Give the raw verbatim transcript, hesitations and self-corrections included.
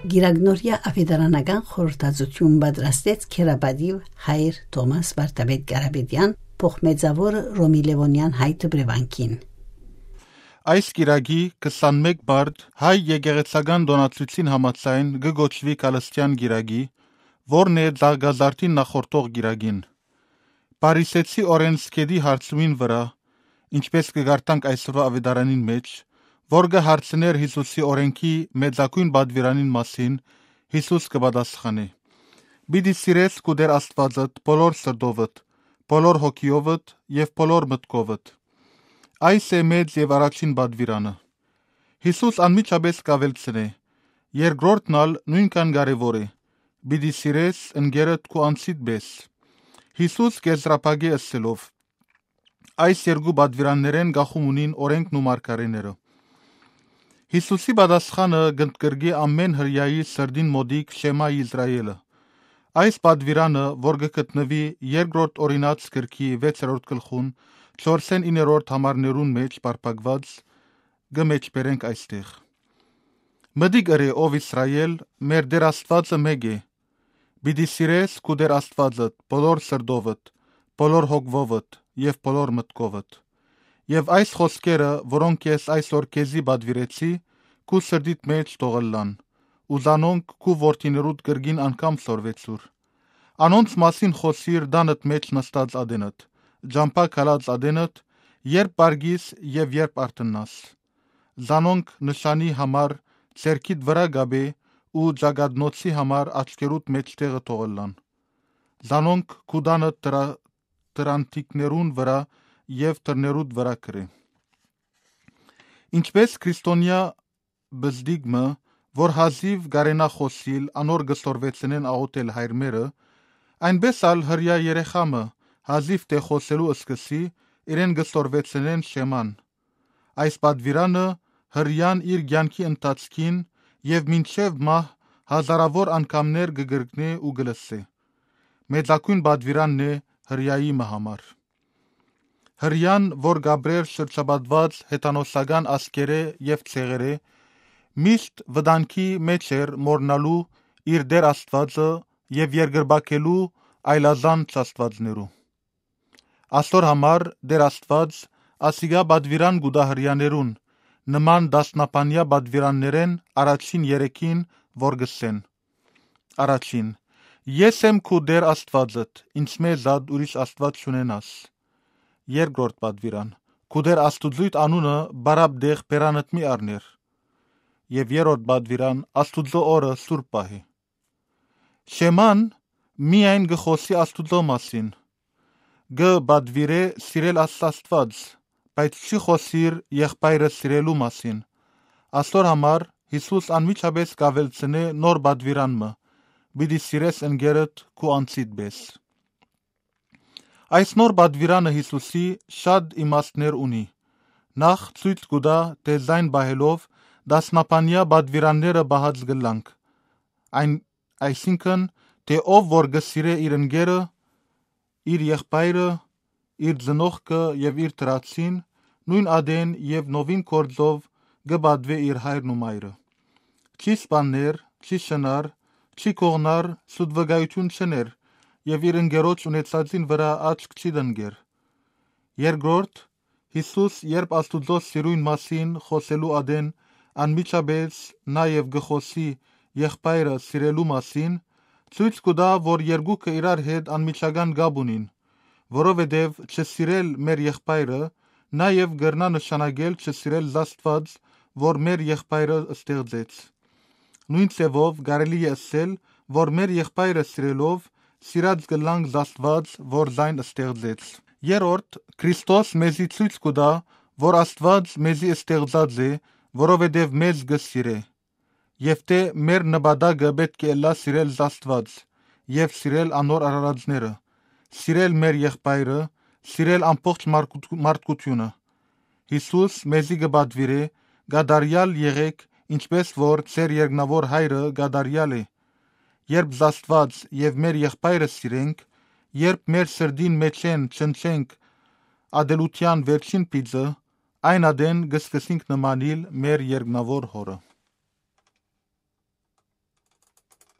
Կիրագնորյա աւետարանական խորհրդածութիւն պատրաստեց քերապատիւ հայր Թոմաս Վարդապետ Կարապետեան, փոխմեծաւոր Ռոմի Լեւոնեան հայ դպրեվանքին։ Այս կիրակի քսանմէկ մարտ հայ եկեղեցական տօնացուցին համաձայն կը կոչուի Գալստեան կիրակի, որն է Զագազարդին նախորդող կիրակին։ Փարիսեցի օրէն Սքեդի հարցումին վրայ, ինչպէս կը կարդանք այսօրվա աւետարանին մէջ, որ կը հարցնէր Յիսուսի օրէնքի մեծագոյն պատուիրանին մասին, Յիսուս կը պատասխանի. «Պիտի սիրես քու Տէր Աստուածդ բոլոր սրտովդ, բոլոր հոգիովդ եւ բոլոր մտքովդ»։ Այս է մեծ եւ առաջին պատուիրանը։ Յիսուս անմիջապէս կ'աւելցնէ. «Երկրորդն ալ նոյնքան կարեւոր է. պիտի սիրես ընկերդ քու անձիդ պէս»։ Յիսուս կ'եզրափակէ ըսելով. «Այս երկու պատուիրաններէն կախում ունին օրէնքն ու մարգարէները»։ Յիսուսի պատասխանը կ'ընդգրկի ամէն հրեայի սրտին մօտիկ Շեմա Իսրայէլը։ Այս պատուիրանը, որ կը գտնուի երկրորդ օրինաց գրքի վեցերորդ գլխուն, չորսէն իններորդ համարներուն մէջ պարփակուած, կը մէջբերենք այստեղ. «Մտիկ ըրէ, ով Իսրայէլ, մեր Տէր Աստուածը մէկ է։ Պիտի սիրես քու Տէր Աստուածդ բոլոր սրտովդ, բոլոր հոգովդ եւ բոլոր մտքովդ»։ Եւ այս խօսքերը, որոնք ես այսօր քեզի պատուիրեցի, քու սրտիդ մէջ թող ըլլան, ու զանոնք քու որդիներուդ կրկին անգամ սորվեցուր։ Անոնց մասին խօսիր տանդ մէջ նստած ատենդ, ճամբայ գալած ատենդ, երբ պառկիս եւ երբ արթննաս։ Զանոնք նշանի համար ձեռքիդ վրայ կապէ ու ճակատնոցի համար աչքերուդ մէջտեղը թող ըլլան։ Զանոնք քու տանդ դրա-, դրանթիքներուն վրայ եւ դռներուդ վրայ գրէ։ Ինչպէս քրիստոնեայ պզտիկ մը, որ հազիւ կարենայ խօսիլ, անոր կը սորվեցնեն աղօթել հայրմերը, այնպէս ալ հրեայ երեխայ մը, հազիւ թէ խօսելու սկսի, իրեն կը սորվեցնեն Շեման։ Այս պատուիրանը հրեան իր կեանքի ընթացքին եւ մինչեւ մահ հազարաւոր անգամներ կը կրկնէ ու կը լսէ։ Մեծագոյն պատուիրանն է հրեայի մը համար։ Հրեան, որ կ'ապրէր շրջապատուած հեթանոսական ազգերէ եւ ցեղերէ, միշտ վտանգի մէջ էր մոռնալու իր Տէր Աստուածը եւ երկրպագելու այլազանց աստուածներու։ Աստոր համար Տէր Աստուած ասիկա պատուիրան կու տայ հրեաներուն, նման տասնաբանեայ պատուիրաններէն առաջին երեքին, որ կ'ըսեն. առաջին. «Ես եմ քու Տէր Աստուածդ, ինծմէ զատ ուրիշ Աստուած չունենաս»։ Երկրորդ պատուիրան. «Քու Տէր Աստուծոյդ անունը բարապ տեղ բերանդ մի առներ»։ Եւ երրորդ պատուիրան. «Աստուծոյ օրը սուրբ պահի»։ Շեման միայն կը խօսի Աստուծոյ մասին։ Կը պատուիրէ սիրել Աստուած, բայց չի խօսիր եղբայրը սիրելու մասին։ Աստոր համար Յիսուս անմիջապէս կ'աւելցնէ նոր պատուիրան մը. «Պիտի սիրես ընկերդ քու անձիդ պէս»։ Այս նոր պատուիրանը Յիսուսի շատ իմաստներ ունի։ Նախ, ցոյց կու տայ, թէ զայն պահելով, տասնաբանեայ պատուիրանները պահած կ'ըլլանք։ Այն, այսինքն, թէ ով որ կը սիրէ իր ընկերը, իր եղբայրը, իր ծնողքը եւ իր դրացին, նոյն ատեն եւ նովին գործով կը պատուէ իր հայրն ու մայրը։ Չի սպաններ, չի շնար, չի կողնար, սուտ վկայութիւն չ'ըներ եւ իր ընկերոջ ունեցածին վրայ աչք չի տնկեր։ Երկրորդ, Յիսուս, երբ Աստուծոյ սիրոյն մասին խօսելու ատեն անմիջապէս նաեւ կը խօսի եղբայրը սիրելու մասին, ցոյց կու տայ, որ երկուքը իրար հետ անմիջական կապ ունին, որովհետեւ չսիրել մեր եղբայրը նաեւ կրնայ նշանակել չսիրել զԱստուած, որ մեր եղբայրը ստեղծեց։ Նոյն ձեւով կարելի է ըսել, որ մեր եղբայրը սիրելով, սիրած կ'ըլլանք զԱստուած, որ զայն ստեղծեց։ Երրորդ, Քրիստոս մեզի ցոյց կու տայ, որ Աստուած մեզի ստեղծած է, որովհետեւ մեզ կը սիրէ, եւ թէ մեր նպատակը պէտք է ըլլայ սիրել զԱստուած եւ սիրել անոր արարածները, սիրել մեր եղբայրը, սիրել ամբողջ մարդկութ-, մարդկութիւնը։ Յիսուս մեզի կը պատուիրէ. «Կատարեալ եղէք, ինչպէս որ ձեր երկնաւոր Հայրը կատարեալ է»։ Երբ զԱստուած եւ մեր եղբայրը սիրենք, երբ մեր սրտին մէջէն չնչենք ատելութեան վերջին բիծը, այն ատեն կը սկսենք նմանիլ մեր երկնաւոր Հօրը։